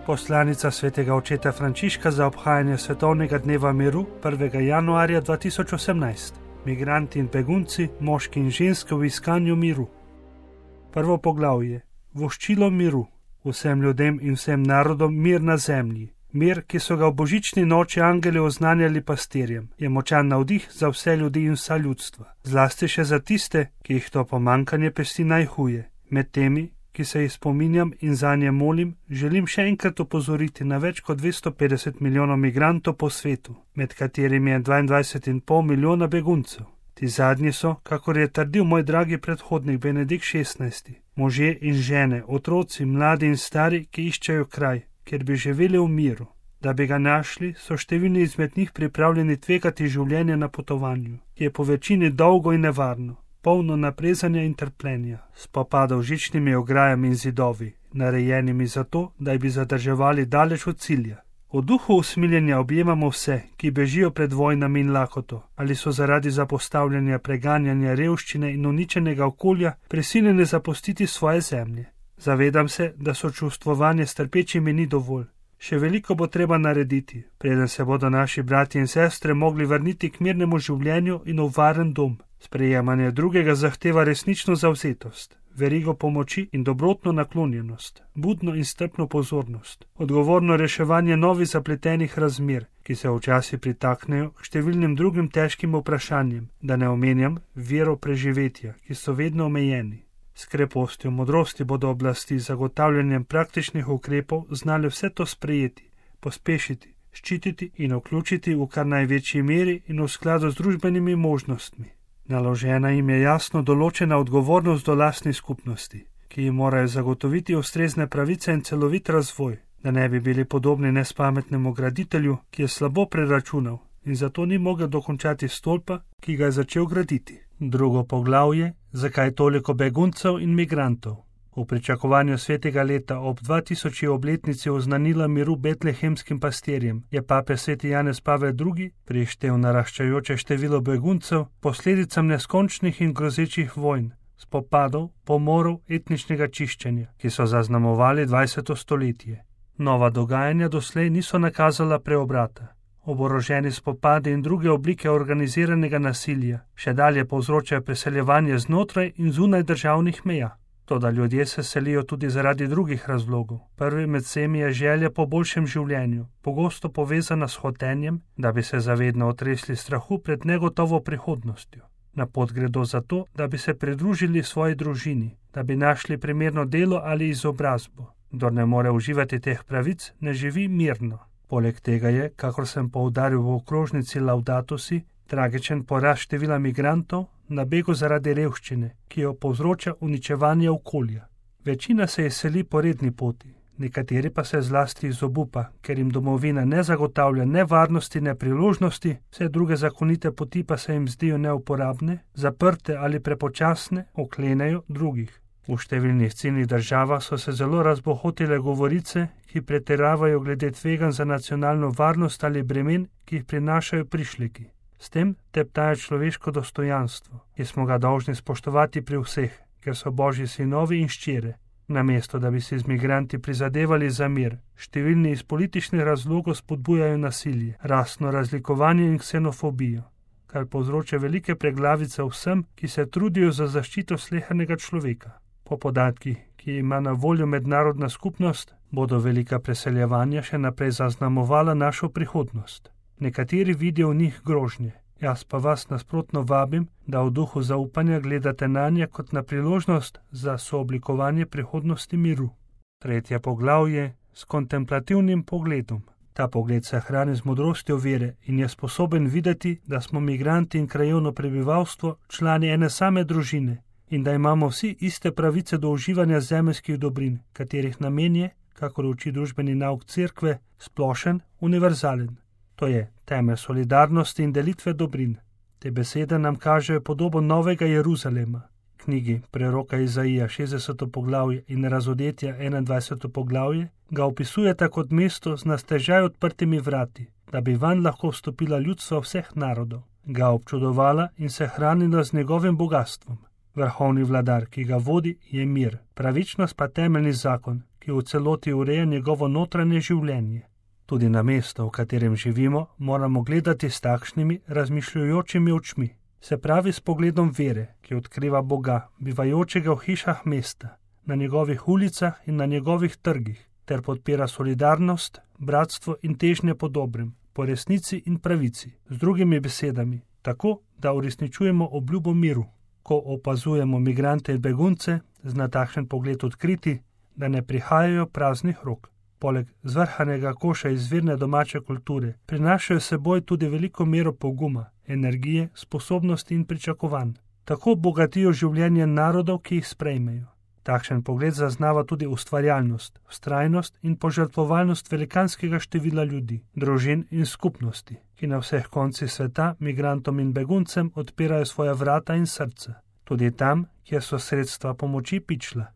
Poslanica svetega očeta Frančiška za obhajanje svetovnega dneva miru 1. januarja 2018. Migranti in begunci, moški in ženske v iskanju miru. Prvo poglavje. Voščilo miru. Vsem ljudem in vsem narodom mir na zemlji. Mir, ki so ga v božični noči angeli oznanjali pastirjem, je močan navdih za vse ljudi in vsa ljudstva. Zlasti še za tiste, ki jih to pomankanje pesti najhuje. Med temi, ki se jih spominjam in zanje molim, želim še enkrat opozoriti na več kot 250 milijonov migrantov po svetu, med katerimi je 22,5 milijona beguncev. Ti zadnji so, kakor je trdil moj dragi predhodnik Benedikt XVI, možje in žene, otroci, mladi in stari, ki iščejo kraj, kjer bi živeli v miru. Da bi ga našli, so številni izmed njih pripravljeni tvegati življenje na potovanju, ki je po večini dolgo in nevarno, polno naprezanja in trpljenja, spopadov z žičnimi ograjami in zidovi, narejenimi zato, da bi zadrževali daleč od cilja. V duhu usmiljenja objemamo vse, ki bežijo pred vojnami in lakoto, ali so zaradi zapostavljanja, preganjanja, revščine in uničenega okolja prisiljeni zapustiti svoje zemlje. Zavedam se, da sočustvovanje s trpečimi ni dovolj. Še veliko bo treba narediti, preden se bodo naši bratje in sestre mogli vrniti k mirnemu življenju in v varen dom. Sprejemanje drugega zahteva resnično zavzetost, verigo pomoči in dobrotno naklonjenost, budno in strpno pozornost, odgovorno reševanje novih zapletenih razmer, ki se včasih pritaknejo k številnim drugim težkim vprašanjem, da ne omenjam vero preživetja, ki so vedno omejeni. S krepostjo modrosti bodo oblasti z zagotavljanjem praktičnih ukrepov znali vse to sprejeti, pospešiti, ščititi in vključiti v kar največji meri in v skladu z družbenimi možnostmi. Naložena jim je jasno določena odgovornost do lastni skupnosti, ki jim morajo zagotoviti ustrezne pravice in celovit razvoj, da ne bi bili podobni nespametnemu graditelju, ki je slabo preračunal in zato ni mogel dokončati stolpa, ki ga je začel graditi. Drugo poglavje, zakaj toliko beguncev in migrantov. V pričakovanju svetega leta ob 2000. obletnici oznanila miru betlehemskim pastirjem je papež sveti Janez Pavel II prištel naraščajoče število beguncev posledicam neskončnih in grozečih vojn, spopadov, pomorov, etničnega čiščenja, ki so zaznamovali 20. stoletje. Nova dogajanja doslej niso nakazala preobrata. Oboroženi spopadi in druge oblike organiziranega nasilja še dalje povzročajo preseljevanje znotraj in zunaj državnih meja. Toda ljudje se selijo tudi zaradi drugih razlogov. Prvi med vsemi je želja po boljšem življenju, pogosto povezana s hotenjem, da bi se zavedno otresli strahu pred negotovo prihodnostjo. Na pot gredo zato, da bi se pridružili svoji družini, da bi našli primerno delo ali izobrazbo. Kdor ne more uživati teh pravic, ne živi mirno. Poleg tega je, kakor sem poudaril v okrožnici Laudato Si, tragičen porast števila migrantov na begu zaradi revščine, ki jo povzroča uničevanje okolja. Večina se je seli po redni poti, nekateri pa se zlasti iz obupa, ker jim domovina ne zagotavlja ne varnosti, ne priložnosti, vse druge zakonite poti pa se jim zdijo neuporabne, zaprte ali prepočasne, oklenejo drugih. V številnih ciljnih državah so se zelo razbohotile govorice, ki pretiravajo glede tveganj za nacionalno varnost ali bremen, ki jih prinašajo prišleki. S tem teptajo človeško dostojanstvo, ki smo ga dolžni spoštovati pri vseh, ker so Božji sinovi in ščere. Namesto da bi si z migranti prizadevali za mir, številni iz političnih razlogov spodbujajo nasilje, rasno razlikovanje in ksenofobijo, kar povzroča velike preglavice vsem, ki se trudijo za zaščito slehernega človeka. Po podatkih, ki ima na voljo mednarodna skupnost, bodo velika preseljevanja še naprej zaznamovala našo prihodnost. Nekateri vidijo v njih grožnje, jaz pa vas nasprotno vabim, da v duhu zaupanja gledate nanje kot na priložnost za sooblikovanje prihodnosti miru. Tretje poglavje s kontemplativnim pogledom. Ta pogled se hrani z modrostjo vere in je sposoben videti, da smo migranti in krajevno prebivalstvo člani ene same družine, in da imamo vsi iste pravice do uživanja zemeljskih dobrin, katerih namen je, kakor uči družbeni nauk cerkve, splošen, univerzalen. To je temelj solidarnosti in delitve dobrin. Te besede nam kažejo podobo novega Jeruzalema. Knjigi preroka Izaija 60. poglavje in Razodetja 21. poglavje ga opisujeta kot mesto z na stežaj odprtimi vrati, da bi vanj lahko vstopila ljudstva vseh narodov, ga občudovala in se hranila z njegovim bogastvom. Vrhovni vladar, ki ga vodi, je mir, pravičnost pa temeljni zakon, ki v celoti ureja njegovo notranje življenje. Tudi na mesto, v katerem živimo, moramo gledati s takšnimi razmišljujočimi očmi, se pravi s pogledom vere, ki odkriva Boga, bivajočega v hišah mesta, na njegovih ulicah in na njegovih trgih, ter podpira solidarnost, bratstvo in težnje po dobrem, po resnici in pravici, z drugimi besedami, tako, da uresničujemo obljubo miru. Ko opazujemo migrante in begunce, zna takšen pogled odkriti, da ne prihajajo praznih rok. Poleg zvrhanega koša izvirne domače kulture prinašajo seboj tudi veliko mero poguma, energije, sposobnosti in pričakovanj. Tako bogatijo življenje narodov, ki jih sprejmejo. Takšen pogled zaznava tudi ustvarjalnost, vztrajnost in požrtvovalnost velikanskega števila ljudi, družin in skupnosti, ki na vseh koncih sveta migrantom in beguncem odpirajo svoja vrata in srca, tudi tam, kjer so sredstva pomoči pičla.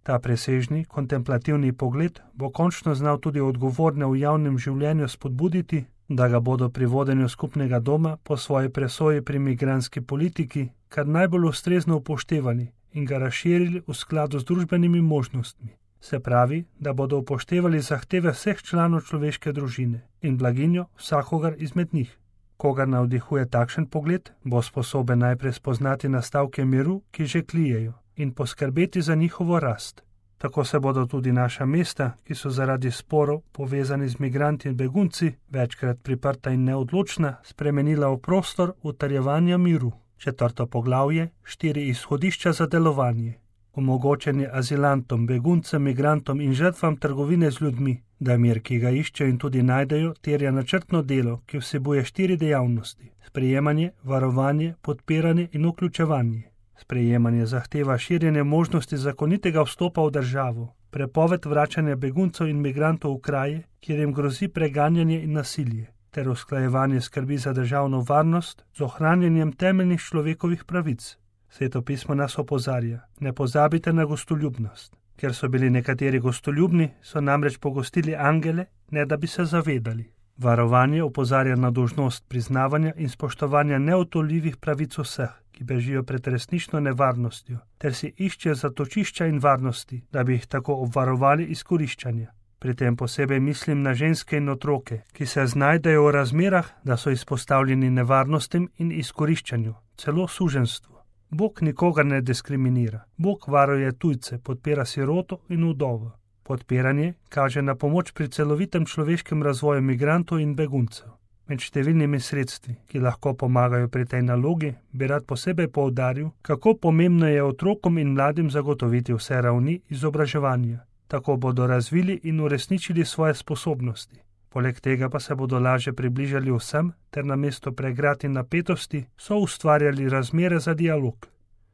Ta presežni, kontemplativni pogled bo končno znal tudi odgovorne v javnem življenju spodbuditi, da ga bodo pri vodenju skupnega doma po svoji presoji pri migrantski politiki kar najbolj ustrezno upoštevali in ga razširili v skladu z družbenimi možnostmi. Se pravi, da bodo upoštevali zahteve vseh članov človeške družine in blaginjo vsakogar izmed njih. Kogar navdihuje takšen pogled, bo sposoben najprej spoznati nastavke miru, ki že tlijejo, in poskrbeti za njihovo rast. Tako se bodo tudi naša mesta, ki so zaradi sporov povezani z migranti in begunci, večkrat priprta in neodločna, spremenila v prostor utrjevanja miru. 4. poglavje, 4 izhodišča za delovanje. Omogočanje azilantom, beguncem, migrantom in žrtvam trgovine z ljudmi, da mir, ki ga iščejo in tudi najdejo, terja načrtno delo, ki vsebuje 4 dejavnosti: sprejemanje, varovanje, podpiranje in vključevanje. Sprejemanje zahteva širjenje možnosti zakonitega vstopa v državo, prepoved vračanja beguncev in migrantov v kraje, kjer jim grozi preganjanje in nasilje, ter usklajevanje skrbi za državno varnost z ohranjanjem temeljnih človekovih pravic. Sveto pismo nas opozarja: ne pozabite na gostoljubnost. Ker so bili nekateri gostoljubni, so namreč pogostili angele, ne da bi se zavedali. Varovanje opozarja na dolžnost priznavanja in spoštovanja neodtujljivih pravic vseh, ki bežijo pred resnično nevarnostjo, ter si iščejo zatočišča in varnosti, da bi jih tako obvarovali izkoriščanja. Pri tem posebej mislim na ženske in otroke, ki se znajdejo v razmerah, da so izpostavljeni nevarnostim in izkoriščanju, celo suženstvu. Bog nikogar ne diskriminira. Bog varuje tujce, podpira siroto in vdovo. Podpiranje kaže na pomoč pri celovitem človeškem razvoju migrantov in beguncev. Med številnimi sredstvi, ki lahko pomagajo pri tej nalogi, bi rad posebej poudaril, kako pomembno je otrokom in mladim zagotoviti vse ravni izobraževanja. Tako bodo razvili in uresničili svoje sposobnosti. Poleg tega pa se bodo lažje približali vsem, ter namesto pregrad in napetosti so ustvarjali razmere za dialog.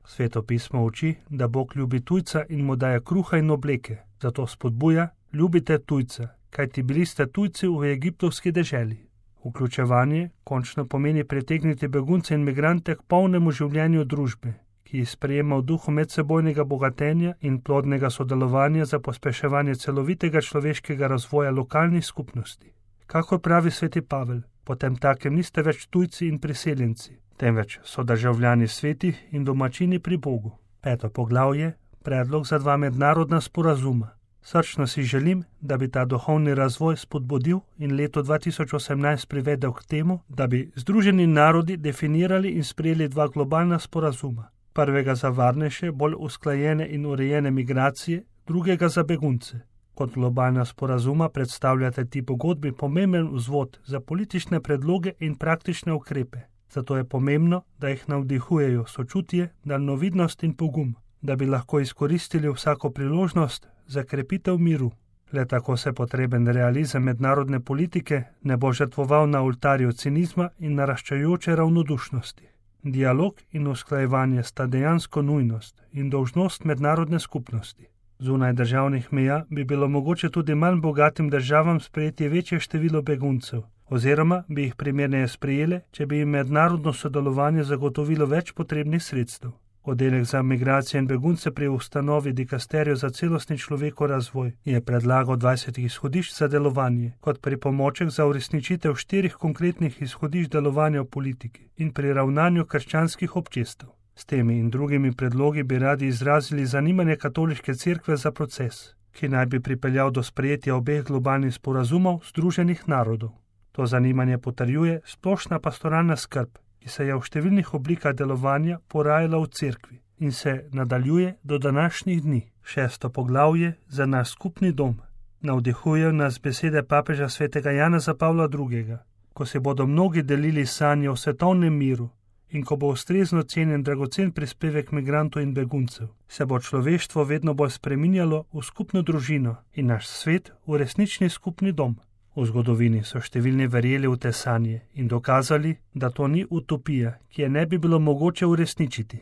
Sveto pismo uči, da Bog ljubi tujca in mu daje kruha in obleke, zato spodbuja: ljubite tujca, kajti bili ste tujci v egiptovski deželi. Vključevanje končno pomeni pritegniti begunce in migrante k polnemu življenju družbe, ki jih sprejema v duhu medsebojnega bogatenja in plodnega sodelovanja za pospeševanje celovitega človeškega razvoja lokalnih skupnosti. Kakor pravi sveti Pavel, potem takem niste več tujci in priseljenci, temveč so državljani svetih in domačini pri Bogu. 5. poglavje, predlog za 2 mednarodna sporazuma. Srčno si želim, da bi ta duhovni razvoj spodbudil in leto 2018 privedel k temu, da bi Združeni narodi definirali in sprejeli 2 globalna sporazuma. Prvega za varnejše, bolj usklajene in urejene migracije, drugega za begunce. Kot globalna sporazuma predstavljate ti pogodbi pomemben vzvod za politične predloge in praktične ukrepe. Zato je pomembno, da jih navdihujejo sočutje, daljnovidnost in pogum, da bi lahko izkoristili vsako priložnost za krepitev miru. Le tako se potreben realizem mednarodne politike ne bo žrtvoval na oltarju cinizma in naraščajoče ravnodušnosti. Dialog in usklajevanje sta dejansko nujnost in dolžnost mednarodne skupnosti. Zunaj državnih meja bi bilo mogoče tudi manj bogatim državam sprejeti večje število beguncev, oziroma bi jih primerneje sprejele, če bi jim mednarodno sodelovanje zagotovilo več potrebnih sredstev. Oddelek za migracije in begunce pri ustanovi Dikasterijo za celostni človekov razvoj je predlagal 20 izhodišč za delovanje kot pripomoček za uresničitev 4 konkretnih izhodišč delovanja v politiki in pri ravnanju krščanskih občestev. S temi in drugimi predlogi bi radi izrazili zanimanje katoliške cerkve za proces. ki naj bi pripeljal do sprejetja obeh globalnih sporazumov Združenih narodov. To zanimanje potrjuje splošna pastoralna skrb, ki se je v številnih oblikah delovanja porajala v cerkvi in se nadaljuje do današnjih dni. 6. poglavje za naš skupni dom. Navdihujejo nas besede papeža svetega Janeza Pavla II., ko se bodo mnogi delili sanje o svetovnem miru in ko bo ustrezno cenjen dragocen prispevek migrantov in beguncev, se bo človeštvo vedno bolj spreminjalo v skupno družino in naš svet v resnični skupni dom. V zgodovini so številni verjeli v te sanje in dokazali, da to ni utopija, ki je ne bi bilo mogoče uresničiti.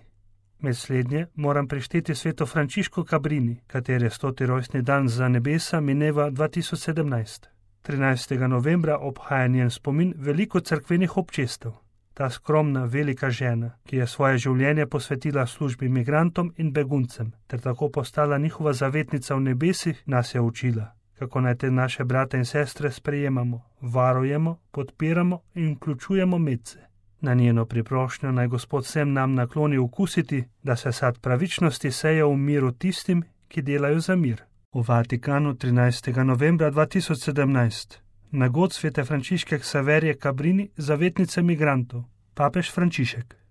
Med slednje moram prišteti sveto Frančiško Cabrini, katere 100. rojstni dan za nebesa mineva 2017. 13. novembra obhaja njen spomin veliko cerkvenih občestev. Ta skromna, velika žena, ki je svoje življenje posvetila službi migrantom in beguncem, ter tako postala njihova zavetnica v nebesih, nas je učila, kako naj te naše brate in sestre sprejemamo, varujemo, podpiramo in vključujemo medse. Na njeno priprošnjo naj Gospod vsem nam nakloni okusiti, da se sad pravičnosti seje v miru tistim, ki delajo za mir. V Vatikanu 13. novembra 2017. Nagod svete Frančiške Ksaverije Cabrini, zavetnice migrantov, papež Frančišek.